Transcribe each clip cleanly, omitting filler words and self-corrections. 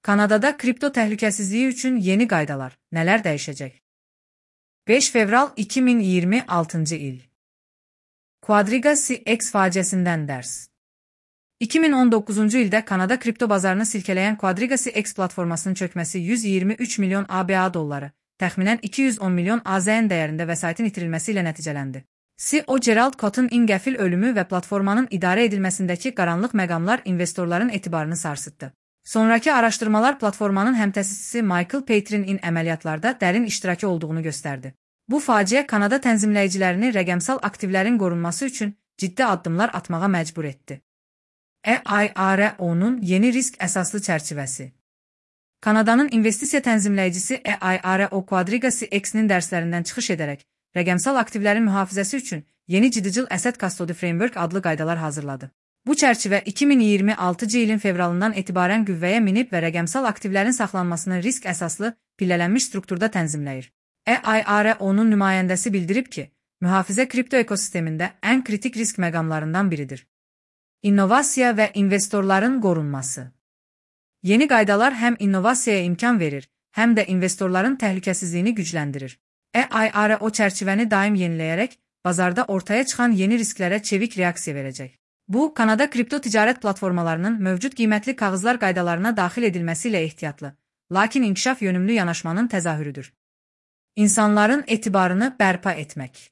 Kanadada kripto təhlükəsizliyi üçün yeni qaydalar. Nələr dəyişəcək? 5 fevral 2026 il. Quadriga CX faciəsindən dərs. 2019-cu ildə Kanada kripto bazarını silkələyən Quadriga CX platformasının çökməsi 123 milyon ABA dolları, təxminən 210 milyon AZN dəyərində vəsaitin itirilməsi ilə nəticələndi. CEO Gerald Cotton-in qəfil ölümü və platformanın idarə edilməsindəki qaranlıq məqamlar investorların etibarını sarsıtdı. Sonrakı araşdırmalar platformanın həmtəsisçisi Michael Patrin-in əməliyyatlarda dərin iştirakı olduğunu göstərdi. Bu faciə Kanada tənzimləyicilərini rəqəmsal aktivlərin qorunması üçün ciddi addımlar atmağa məcbur etdi. EIRO-nun yeni risk əsaslı çərçivəsi. Kanadanın investisiya tənzimləyicisi EIRO Quadriga CX-nin dərslərindən çıxış edərək, rəqəmsal aktivlərin mühafizəsi üçün yeni Digital Asset Custody Framework adlı qaydalar hazırladı. Bu çərçivə 2026-cı ilin fevralından etibarən qüvvəyə minib və rəqəmsal aktivlərin saxlanmasını risk əsaslı, pillələnmiş strukturda tənzimləyir. EIRO-nun nümayəndəsi bildirib ki, mühafizə kripto ekosistemində ən kritik risk məqamlarından biridir. İnnovasiya və investorların qorunması. Yeni qaydalar həm innovasiyaya imkan verir, həm də investorların təhlükəsizliyini gücləndirir. EIRO çərçivəni daim yeniləyərək, bazarda ortaya çıxan yeni risklərə çevik reaksiya verəcək. Bu, Kanada kripto ticarət platformalarının mövcud qiymətli kağızlar qaydalarına daxil edilməsi ilə ehtiyatlı, lakin inkişaf yönümlü yanaşmanın təzahürüdür. İnsanların etibarını bərpa etmək.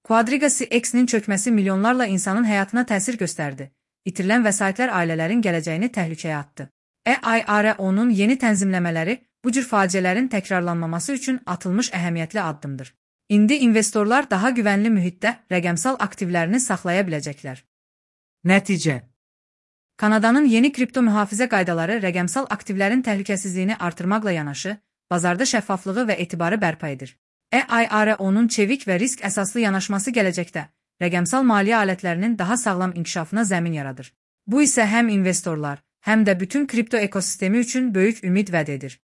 Quadriga CX-nin çökməsi milyonlarla insanın həyatına təsir göstərdi. İtirilən vəsaitlər ailələrin gələcəyini təhlükəyə atdı. EIRO-nun yeni tənzimləmələri bu cür faciələrin təkrarlanmaması üçün atılmış əhəmiyyətli addımdır. İndi investorlar daha güvənli mühitdə rəqəmsal aktivlərini saxlaya biləcəklər. Nəticə. Kanadanın yeni kripto mühafizə qaydaları rəqəmsal aktivlərin təhlükəsizliyini artırmaqla yanaşı, bazarda şəffaflığı və etibarı bərpa edir. EIRO-nun çevik və risk əsaslı yanaşması gələcəkdə rəqəmsal maliyyə alətlərinin daha sağlam inkişafına zəmin yaradır. Bu isə həm investorlar, həm də bütün kripto ekosistemi üçün böyük ümid vəd edir.